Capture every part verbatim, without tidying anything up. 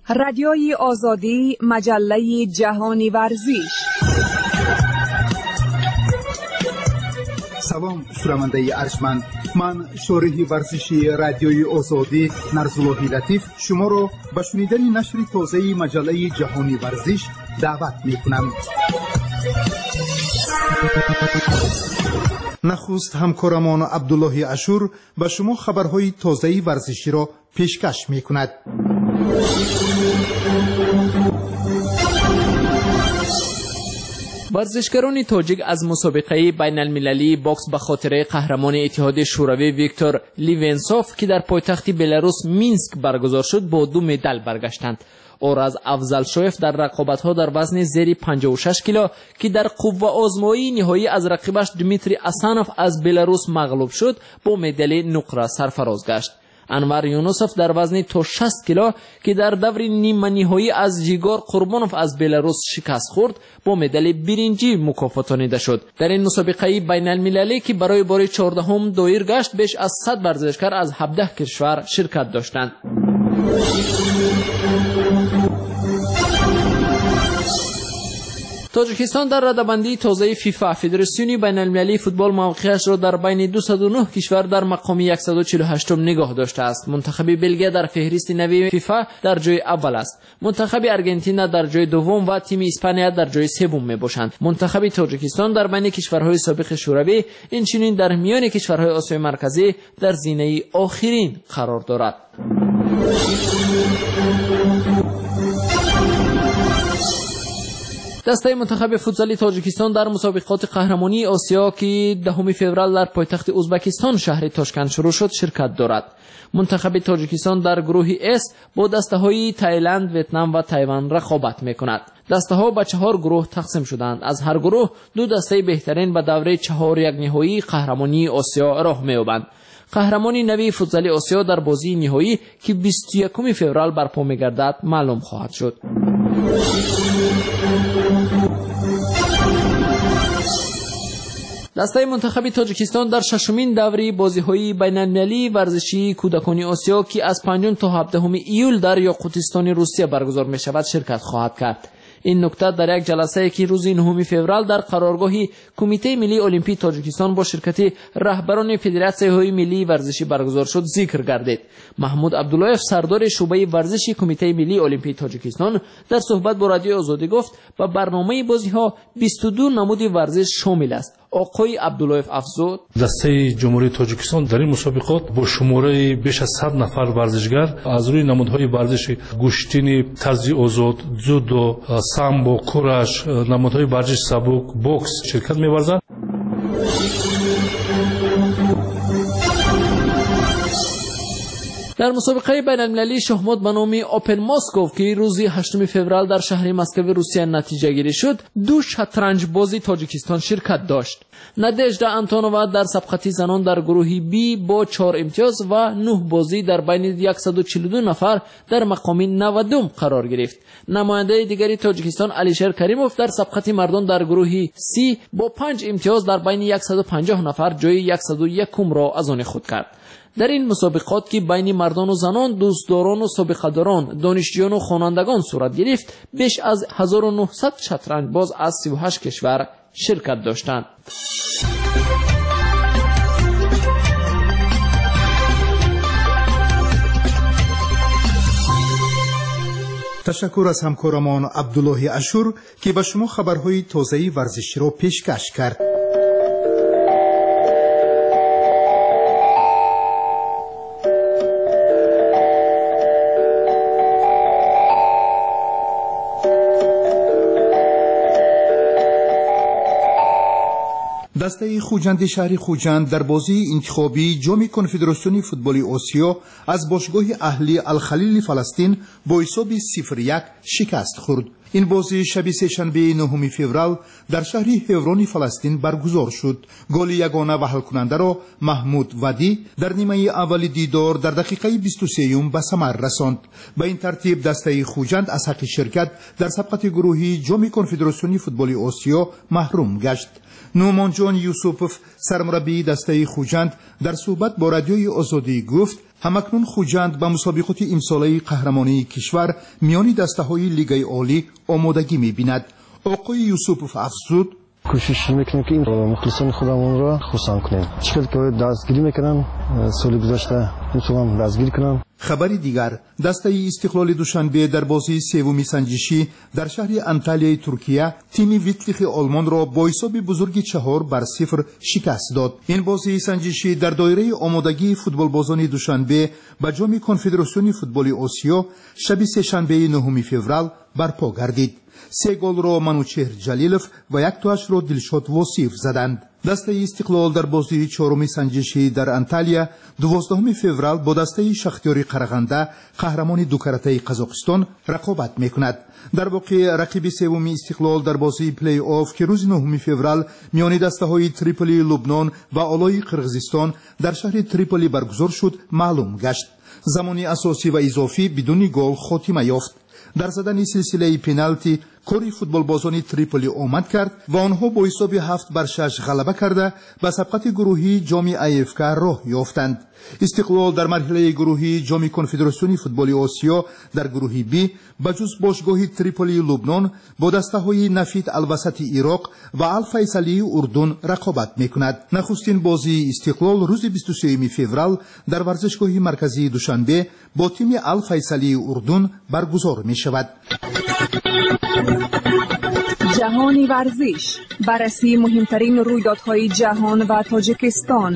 Радиои Озодӣ, маҷаллаи ҷаҳони варзиш. Салом, шунавандаи арҷманд. Ман шориҳи варзиши Радиои Озодӣ Нарзуллоҳи Латиф шуморо ба шунидани нашри тозаи маҷаллаи ҷаҳони варзиш даъват мекунам. Нахуст ҳамкорамон Абдуллоҳи Ашур ба шумо хабарҳои тозаи варзиширо пешкаш мекунад. Варзишгарони тоҷик аз мусобиқаи байналмилалии бокс ба хотираи қаҳрамони Иттиҳоди Шӯравӣ Виктор Ливенсов, ки дар пойтахти Беларус Минск баргузор шуд, бо ду медал баргаштанд. Ораз Афзалшоев дар рақобатҳо дар вазни зери панҷоҳу шаш кило, ки дар қувваозмоии ниҳоӣ аз рақибаш Дмитрий Асанов аз Беларус мағлуб шуд, бо медали нуқра сарфароз гашт. Анвар Юнусов дар вазни то шаст кило, ки дар даври ниманиҳоӣ аз Жигор Қурбонов аз Беларус шикаст хӯрд, бо медали биринҷӣ мукофотонида шуд. Дар ин мусобиқаи байналмилалӣ, ки барои бори чордаҳум доир гашт, беш аз сад варзишкар аз ҳабдаҳ кишвар ширкат доштанд. Тоҷикистон дар радабандии тозаи ФИФА, Федератсиони байналмилалии футбол, мавқеашро дар байни дусаду нӯҳ кишвар дар мақоми яксаду чилу ҳаштум нигоҳ доштааст. Мунтахаби Белгия дар феҳристи нави ФИФА дар ҷои аввал аст. Мунтахаби Аргентина дар ҷои дуввум ва тими Испания дар ҷои севум мебошанд. Мунтахаби Тоҷикистон дар байни кишварҳои собиқи Шӯравӣ, инчунин дар миёни кишварҳои Осиёи Марказӣ дар зинаи охирин қарор дорад. Дастаи мунтахаби футзали Тоҷикистон дар мусобиқоти қаҳрамонии Осиё, ки даҳуми феврал дар пойтахти Ӯзбекистон шаҳри Тошканд шурӯъ шуд, ширкат дорад. Мунтахаби Тоҷикистон дар гурӯҳи С бо дастаҳои Таиланд, Ветнам ва Тайван рақобат мекунад. Дастаҳо ба чаҳор гурӯҳ тақсим шуданд. Аз ҳар гурӯҳ ду дастаи беҳтарин ба давраи чаҳор якниҳоии қаҳрамонии Осиё роҳ меёбанд. Қаҳрамони нави футзали Осиё дар бозии ниҳоӣ, ки бисту якуми феврал барпо мегардад, маълум хоҳад шуд. Дастаи мунтахаби Тоҷикистон дар шашумин даври бозиҳои байналмилалии варзишии кӯдакони Осиё, ки аз панҷум то ҳабдаҳуми июл дар Ёқутистони Русия баргузор мешавад, ширкат хоҳад кард. Ин нукта дар як ҷаласае, ки рӯзи нуҳуми феврал дар қароргоҳи Кумитаи миллии Олимпии Тоҷикистон бо ширкати раҳбарони федератсияҳои миллии варзишӣ баргузор шуд, зикр гардид. Маҳмуд Абдуллоев, сардори шӯъбаи варзиши Кумитаи миллии Олимпии Тоҷикистон, дар суҳбат бо Радиои Озодӣ гуфт, ба барномаи бозиҳо бисту ду намуди варзиш шомил аст. Оқои Абдуллоев афзуд: дастаи Ҷумҳурии Тоҷикистон дар ин мусобиқот бо шумораи беш аз сад нафар варзишгар аз рӯи намудҳои варзиши гӯштини тарзи озод, дзюдо, самбо, кураш, намудҳои варзиши сабук, бокс ширкат меварзанд. Дар мусобиқаи байналмилалии шоҳмот ба номи Open Moscow, ки рӯзи ҳаштуми феврал дар шаҳри Москваи Русия натиҷагирӣ шуд, ду шатранҷбози Тоҷикистон ширкат дошт. Надежда Антонова дар сабқати занон дар гурӯҳи Б бо чор имтиёз ва нӯҳ бозӣ дар байни яксаду чилу ду нафар дар мақоми навадум қарор гирифт. Намояндаи дигари Тоҷикистон Алишер Каримов дар сабқати мардон дар гурӯҳи С бо панҷ имтиёз дар байни яксаду панҷоҳ нафар ҷои яксаду якумро аз они худ кард. Дар ин мусобиқот, ки байни мардону занон, дӯстдорону собиқадорон, донишҷӯёну хонандагон сурат гирифт, беш аз ҳазору нӯҳсад шатранҷбоз аз сиву ҳашт кишвар ширкат доштанд. Ташаккур аз ҳамкорамон Абдуллоҳи Ашур, ки ба шумо хабарҳои тозаи варзиширо пешкаш кард. Дастаи Хуҷанди шаҳри Хуҷанд дар бозии интихобии ҷоми конфедератсиони футболи Осиё аз бошгоҳи аҳли Алхалили Фаластин бо ҳисоби сифр як шикаст хӯрд. Ин бозӣ шаби сешанбеи нуҳуми феврал дар шаҳри Ҳеврони Фаластин баргузор шуд. Голи ягона ва ҳалкунандаро Маҳмуд Вадӣ дар нимаи аввали дидор дар дақиқаи бисту сеюм ба самар расонд. Ба ин тартиб дастаи Хуҷанд аз ҳаққи ширкат дар сабқати гурӯҳии ҷоми конфедератсиони футболи Осиё маҳрум гашт. Нуъмонҷон Юсупов, сармураббии дастаи Хуҷанд, дар суҳбат бо Радиои Озодӣ гуфт: Ҳамакнун Хуҷанд ба мусобиқоти имсолаи қаҳрамонии кишвар миёни дастаҳои Лигаи Олӣ омодагӣ мебинад. Оқои Юсупов афзуд: кӯшиш мекунем, ки мухлисони худамонро хурсанд кунем. Чӣ хел ки дастгирӣ мекунанд соли гузашта, имсолам дастгирӣ кунанд. Хабари дигар: дастаи Истиқлоли Душанбе дар бозии севуми санҷишӣ дар шаҳри Анталияи Туркия тими Витлихи Олмонро бо ҳисоби бузурги чаҳор бар сифр шикаст дод. Ин бозии санҷишӣ дар доираи омодагии футболбозони Душанбе ба ҷоми Конфедератсиони футболи Осиё шаби сешанбеи нуҳуми феврал барпо гардид. Се голро Манучеҳр Ҷалилов ва яктоашро Дилшод Восиев заданд. Дастаи Истиқлол дар бозии чоруми санҷишӣ дар Анталия дувоздаҳуми феврал бо дастаи Шахтёри Қарағанда, қаҳрамони дукаратаи Қазоқистон, рақобат мекунад. Дар воқеъ, рақиби севуми Истиқлол дар бозии плей-офф, ки рӯзи нуҳуми феврал миёни дастаҳои Триполии Лубнон ва Олои Қирғизистон дар шаҳри Триполи баргузор шуд, маълум гашт. Замони асосӣ ва изофӣ бидуни гол хотима ёфт. Дар задани силсилаи пеналти кори футболбозони Триполи омад кард ва онҳо бо ҳисоби ҳафт бар шаш ғалаба карда, ба сабқати гурӯҳии ҷоми А Ф К роҳ ёфтанд. Истиқлол дар марҳилаи гурӯҳии ҷоми Конфедератсиони футболи Осиё дар гурӯҳи Б ба ҷуз бошгоҳи Триполии Лубнон бо дастаҳои Нафит Алвасати Ироқ ва Алфайсалии Урдун рақобат мекунад. Нахустин бозии Истиқлол рӯзи бисту сеюми феврал дар варзишгоҳи марказии Душанбе бо тими Алфайсалии Урдун баргузор мешавад. Ҷаҳони варзиш: баррасии муҳимтарин рӯйдодҳои ҷаҳон ва Тоҷикистон,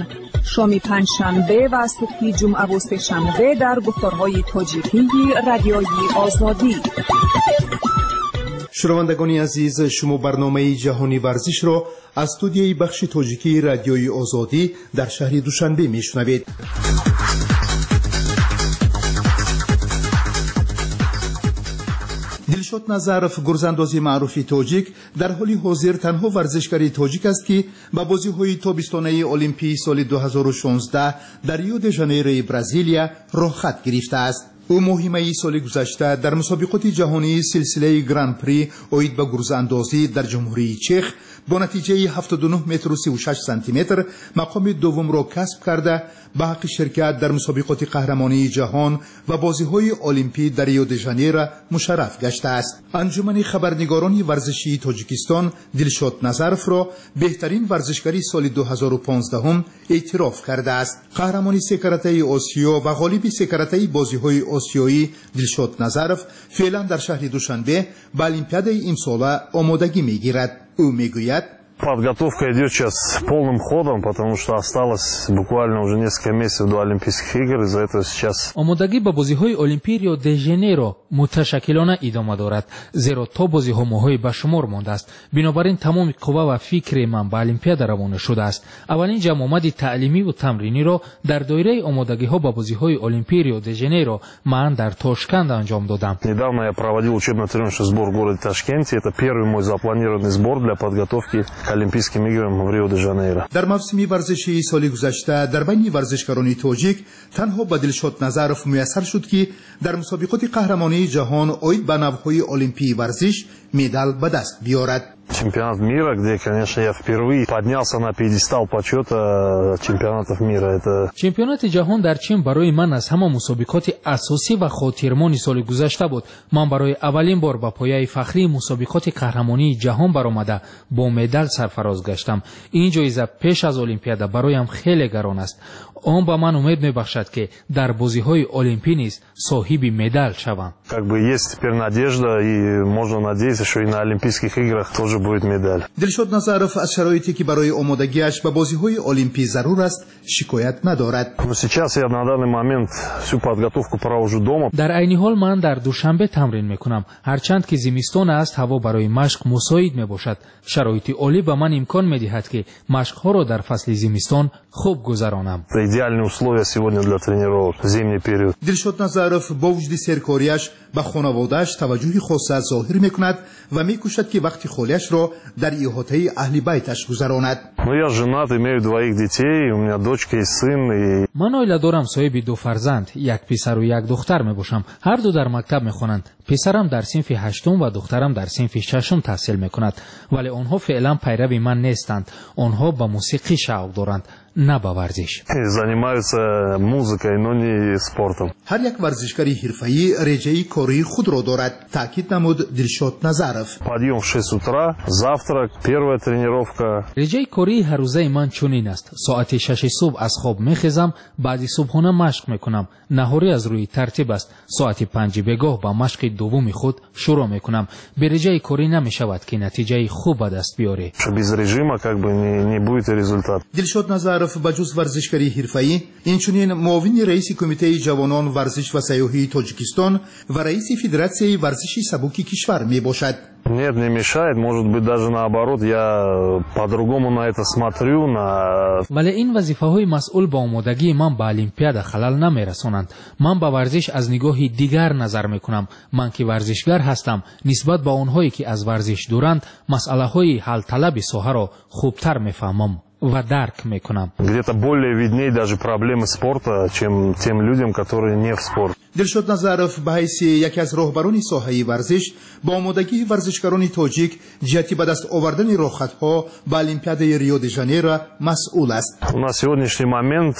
шоми панҷшанбе ва субҳи ҷумъаву сешанбе дар гуфторҳои тоҷикии Радиои Озодӣ. Шунавандагони азиз, шумо барномаи Ҷаҳони варзишро аз студияи бахши тоҷикии Радиои Озодӣ дар шаҳри Душанбе мешунавед. Дилшод Назаров, гурзандози маъруфи тоҷик, дар ҳоли ҳозир танҳо варзишгари тоҷик аст, ки ба бозиҳои тобистонаи олимпии соли ду ҳазору шонздаҳ дар Рио де Жанейрои Бразилия роҳхат гирифтааст. Ӯ моҳи майи соли гузашта дар мусобиқоти ҷаҳонии силсилаи Гран-при оид ба гурзаандозӣ дар Ҷумҳурии Чех бо натиҷаи ҳафтоду нӯҳ метру сию шаш сантиметр мақоми дуввумро касб карда, ба ҳаққи ширкат дар мусобиқоти қаҳрамонии ҷаҳон ва бозиҳои олимпӣ дар Рио де Жанейро мушарраф гаштааст. Анҷумани хабарнигорони варзишии Тоҷикистон Дилшод Назаровро беҳтарин варзишгари соли ду ҳазору понздаҳум эътироф кардааст. Қаҳрамони секаратаи Осиё ва ғолиби секаратаи бозиҳои осиёӣ Дилшод Назаров феълан дар шаҳри Душанбе ба олимпиадаи имсола омодагӣ мегирад. Ӯ мегӯяд: Подготовка идет сейчас полным ходом, потому что осталось буквально уже несколько месяцев до Олимпийских игр, из-за этого сейчас. Омодагӣ ба бозиҳои Олимпии Рио де Жанейро муташаккилона идома дорад, зеро то бозиҳо моҳҳои ба шумор мондааст. Бинобар ин тамоми қувва ва фикри ман ба Олимпиада равона шудааст. Аввалин ҷамъомади таълимиву тамриниро дар доираи омодагиҳо ба бозиҳои Олимпии Рио де Жанейро ман дар Тошканд анҷом додам. Недавно я проводил учебно-тренировочный сбор в городе Ташкенте. Это первый мой запланированный сбор для подготовки к Олимпийским играм в Рио-де-Жанейро. Дар мавсими варзишии соли гузашта дар байни варзишгарони тоҷик танҳо ба Дилшод Назаров муяссар шуд, ки дар мусобиқоти қаҳрамонии ҷаҳон оид ба навъҳои олимпии варзиш медал ба даст биёрад. Чемпионат мира, где, конечно, я впервые поднялся на пьедестал почета чемпионатов мира. Это Чемпионати ҷаҳон дар Чин барои ман аз ҳама мусобиқоти асосӣ ва хотирмони соли гузашта буд. Ман барои аввалин бор ба пояи фахрии мусобиқоти қаҳрамонии ҷаҳон баромада, бо медал сарфароз гаштам. Ин ҷоиза пеш аз Олимпиада бароям хеле гарон аст. Он ба ман умед мебахшад, ки дар бозиҳои олимпӣ низ соҳиби медал шавам. Как бы есть теперь надежда, и можно надеяться, что и на Олимпийских играх тоже будет медаль. Дилшод Назаров аз шароите, ки барои омодагиаш ба бозиҳои олимпӣ зарур аст, шикоят надорад. Но сейчас я на данный момент всю подготовку провожу дома. Дар айни ҳол ман дар Душанбе тамрин мекунам. Ҳарчанд ки зимистон аст, ҳаво барои машқ мусоид мебошад. Шароити олӣ ба ман имкон медиҳад, ки машқҳоро дар фасли зимистон хуб гузаронам. Это идеальные условия сегодня для тренировок в зимний период. Дилшод Назаров бо вуҷуди серкориаш ба хонаводааш таваҷҷӯҳи хоса зоҳир мекунад ва мекӯшад, ки вақти холиашро дар иҳотаи аҳли байташ гузаронад. Ну, я женат, имею двоих детей, у меня дочка и сын. И Ман оила дорам, соҳиби ду фарзанд, як писару як духтар мебошам. Ҳар ду дар мактаб мехонанд. Писарам дар синфи ҳаштум ва духтарам дар синфи шашум таҳсил мекунад, вале онҳо феълан пайрави ман нестанд. Онҳо ба мусиқӣ шавқ доранд. на ба варзиш. Занимаются музыкой, но не спортом. Ҳар як варзишгари ҳирфаӣ реҷаи кории худро дорад, таъкид намуд Дилшод Назаров. Подъем в шесть утра, завтрак, первая тренировка. Реҷаи кории ҳаррӯзаи ман чунин аст. Соати шаши субҳ аз хоб мехезам, баъди субҳона машқ мекунам. Наҳорӣ аз рӯи тартиб аст. Соати панҷи бегоҳ ба машқи дуввуми худ шурӯъ мекунам. Бе реҷаи корӣ намешавад, ки натиҷаи хуб ба даст биёрӣ. Без режима как бы не, не будет результат. Дилшод Назаров ба ҷуз варзишгари ҳирфаӣ, инчунин муовини раиси Кумитаи ҷавонон, варзиш ва сайёҳии Тоҷикистон ва раиси Федератсияи варзиши сабуки кишвар мебошад. Нет, не мешает, может быть, даже наоборот, я по-другому на это смотрю. На... Вале ин вазифаҳои масъул ба омодагии ман ба Олимпиада халал намерасонанд. Ман ба варзиш аз нигоҳи дигар назар мекунам. Ман ки варзишгар ҳастам, нисбат ба онҳое ки аз варзиш дуранд, масъалаҳои ҳалталаби соҳаро хубтар мефаҳмам ва дарк мекунам. Где-то более видней даже проблемы спорта, чем тем людям, которые не в спорт. Дилшод Назаров ба ҳайси яке аз роҳбарони соҳаи варзиш ба омодагии варзишгарони тоҷик ҷиҳати ба даст овардани роҳхатҳо ба Олимпиадаи Рио-де-Жанейро масъул аст. На сегодняшний момент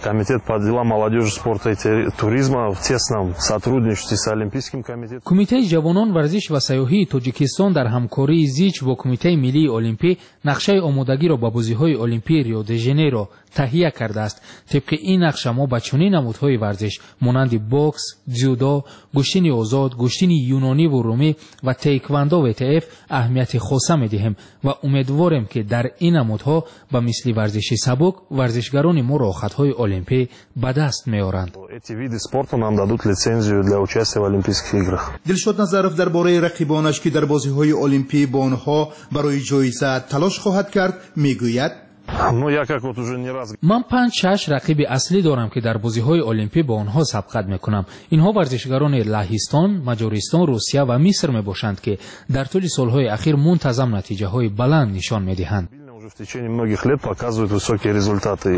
Комитет по делам молодежи, спорта и туризма в тесном сотрудничестве с Олимпийским комитетом. Кумитаи ҷавонон, варзиш ва сайёҳии Тоҷикистон дар ҳамкории зич бо Кумитаи миллии олимпӣ нақшаи омодагиро ба бозиҳои олимпии Рио-де-Жанейро таҳия кардааст. Тибқи ин нақша мо ба чунин намудҳои варзиш монанди бокс, дзюдо, гӯштини озод, гӯштини юнониву румӣ ва тейквандо В Т Ф аҳамияти хоса медиҳем ва умедворем, ки дар ин намудҳо ба мисли варзиши сабук варзишгарони мо роҳхатҳои олимпӣ ба даст меоранд. Эти виды спорта нам дадут лицензию для участия в Олимпийских играх. Дилшод Назаров дар бораи рақибонаш, ки дар бозиҳои олимпӣ бо онҳо барои ҷоиза талош хоҳад кард, мегӯяд: Ну, я как вот уже не раз... Ман панҷ-шаш рақиби аслӣ дорам, ки дар бозиҳои олимпӣ бо онҳо сабқат мекунам. Инҳо варзишгарони Лаҳистон, Маҷористон, Русия ва Миср мебошанд, ки дар тӯли солҳои ахир мунтазам натиҷаҳои баланд нишон медиҳанд. Уже в течение многих лет показывают высокие результаты.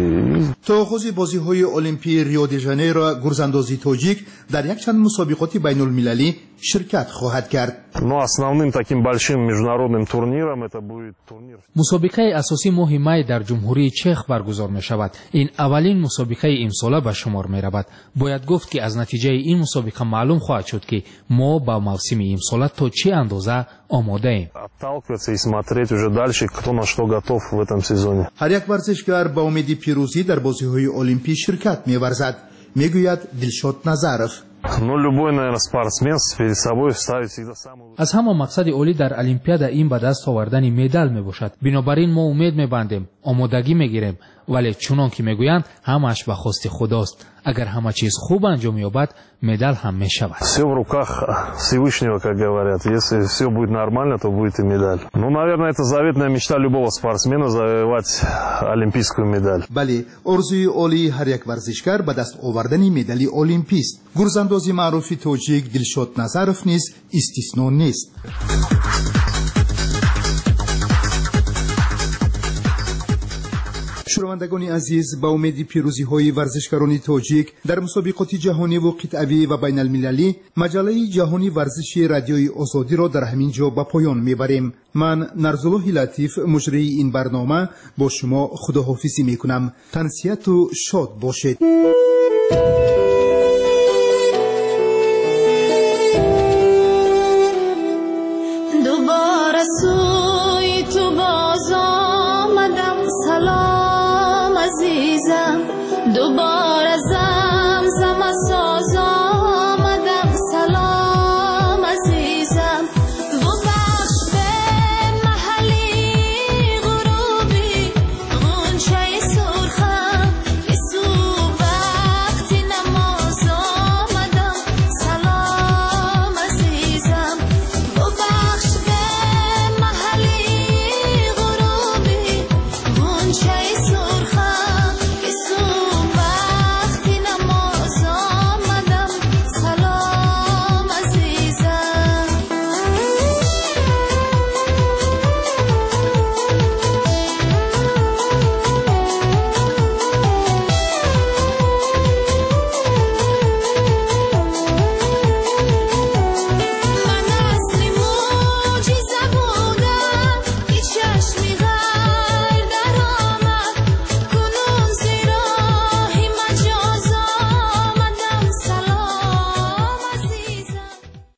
То оғози бозиҳои олимпии Рио-де-Жанейро гурзандози тоҷик дар якчанд мусобиқоти байнулмилалӣ ширкат хоҳад кард. Но основным таким большим международным турниром это будет турнир. Мусобиқаи асосӣ моҳи май дар Ҷумҳурии Чех баргузор мешавад. Ин аввалин мусобиқаи имсола ба шумор меравад. Бояд гуфт, ки аз натиҷаи ин мусобиқа маълум хоҳад шуд, ки мо ба мавсими имсола то чӣ андоза омодаем. Отталкиваться и смотреть уже дальше, кто на что готов в этом сезоне. Ҳар як варзишгар ба умеди пирӯзӣ дар бозиҳои олимпӣ ширкат меварзад, мегӯяд Дилшод Назаров. Ну, любой, наверное, спортсмен перед собой ставит всегда самую... Аз ҳама мақсади олӣ дар Олимпиада ин ба даст овардани медал мебошад. Бинобар ин мо умед мебандем, омодагӣ мегирем, вале чунон ки мегӯянд, ҳамааш ба хости Худост. Агар ҳама чиз хуб анҷом ёбад, медал ҳам мешавад. Все в руках Всевышнего, как говорят. Если все будет нормально, то будет и медаль. Ну, наверное, это заветная мечта любого спортсмена — завоевать олимпийскую медаль. Бале, орзуи олии ҳар як варзишгар ба даст овардани медали олимпист. Гурзандози маъруфи тоҷик Дилшод Назаров низ истисно нест. Шунавандагони азиз, ба умеди пирӯзиҳои варзишгарони тоҷик дар мусобиқоти ҷаҳониву қитъавӣ ва байналмилалӣ, маҷаллаи ҷаҳони варзиши Радиои Озодиро дар ҳамин ҷо ба поён мебарем. Ман, Нарзуллоҳи Латиф, муҷрии ин барнома, бо шумо худоҳофизӣ мекунам. Тансиҳату шод бошед.